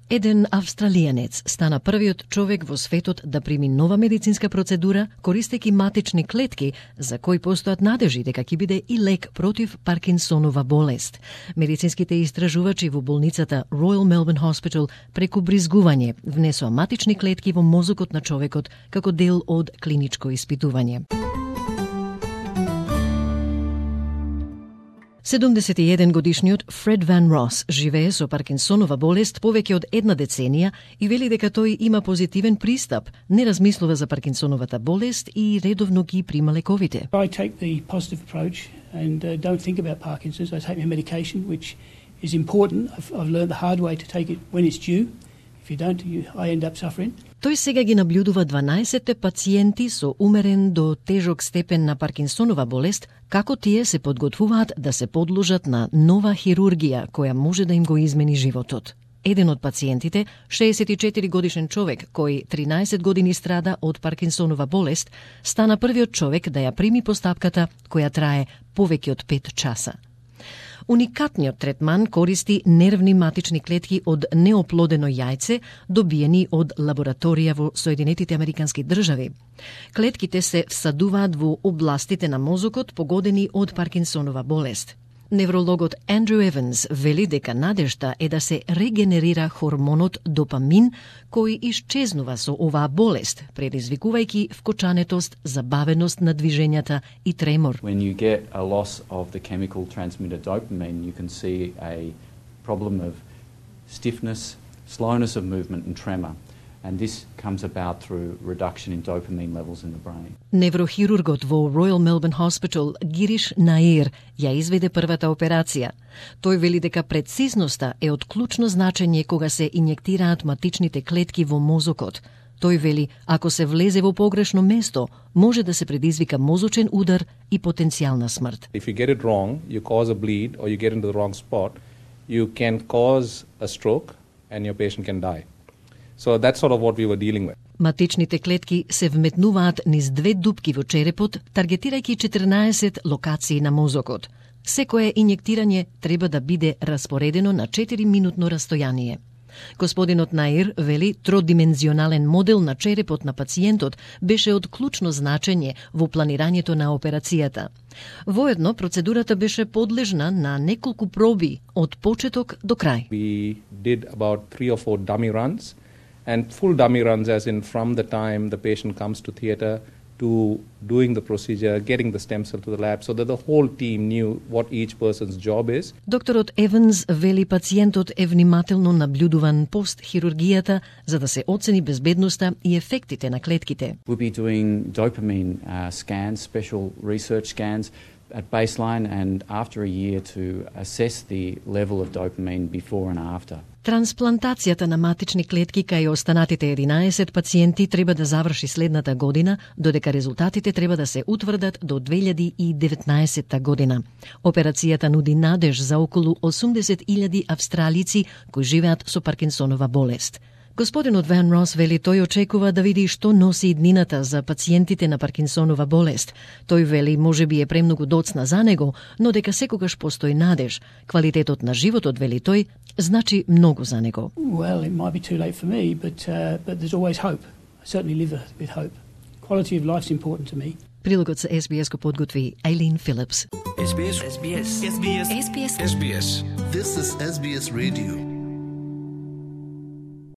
Еден австралијанец стана првиот човек во светот да прими нова медицинска процедура користејќи матични клетки, за кои постојат надежи дека ќе биде и лек против Паркинсонова болест. Медицинските истражувачи во болницата Royal Melbourne Hospital преку бризгување внесоа матични клетки во мозокот на човекот како дел од клиничко испитување. 71 годишниот Фред Ван Рос живее со Паркинсонова болест повеќе од една деценија и вели дека тој има позитивен пристап, не размислува за Паркинсоновата болест и редовно ги прима лековите. I take the positive approach and don't think about Parkinson's. I take my medication, which is important. I've learned the hard way to take it when it's due. If you don't, I end up suffering. Тој сега ги наблюдува 12 пациенти со умерен до тежок степен на Паркинсонова болест, како тие се подготвуваат да се подложат на нова хирургија која може да им го измени животот. Еден од пациентите, 64 годишен човек кој 13 години страда од Паркинсонова болест, стана првиот човек да ја прими постапката која трае повеќе од 5 часа. Уникатниот третман користи нервни матични клетки од неоплодено јајце, добиени од лабораторија во Соединетите Американски држави. Клетките се всадуваат во областите на мозокот погодени од Паркинсонова болест. Неврологот Андрю Еванс вели дека надежта е да се регенерира хормонот допамин, кој исчезнува со оваа болест, предизвикувајќи вкочанетост, забавеност на движењата и тремор. When you get a loss of the chemical transmitter dopamine, you can see a problem of stiffness, slowness of movement and tremor. And this comes about through reduction in dopamine levels in the brain. Неврохирургот во Royal Melbourne Hospital Гириш Наир ја изведе првата операција. Тој вели дека прецизноста е од клучно значење кога се инјектираат матичните клетки во мозокот. Тој вели, ако се влезе во погрешно место, може да се предизвика мозочен удар и потенцијална смрт. If you get it wrong, you cause a bleed or you get into the wrong spot, you can cause a stroke and your patient can die. So that's sort of what we were dealing with. Матичните клетки се вметнуваат низ 2 дупки во черепот, таргетирајќи 14 локации на мозокот. Секое инјектирање треба да биде распоредено на 4-минутно растојание. Господинот Наир вели тродимензионален модел на черепот на пациентот беше од клучно значење во планирањето на операцијата. Воедно, процедурата беше подлежна на неколку проби од почеток до крај. We did about 3 or 4 dummy runs, and full dummy runs as in from the time the patient comes to theatre to doing the procedure, getting the stem cell to the lab, so that the whole team knew what each person's job is. Докторот Еванс вели пациентот е внимателно наблюдуван пост хирургијата за да се оцени безбедноста и ефектите на клетките. We'll be doing dopamine scans, special research scans at baseline and after a year to assess the level of dopamine before and after. Трансплантацијата на матични клетки кај останатите 11 пациенти треба да заврши следната година, додека резултатите треба да се утврдат до 2019 година. Операцијата нуди надеж за околу 80.000 австралици кои живеат со Паркинсонова болест. Господинот Ван Рос вели тој очекува да види што носи иднината за пациентите на Паркинсонова болест. Тој вели можеби е премногу доцна за него, но дека секогаш постои надеж. Квалитетот на животот, вели тој, значи многу за него. Well, it might be too late for me, but there's always hope. I certainly live with hope. Quality of life's important to me. Прилогот за SBS го подготви Ейлин Филипс. SBS. SBS. SBS. SBS. SBS. This is SBS Radio.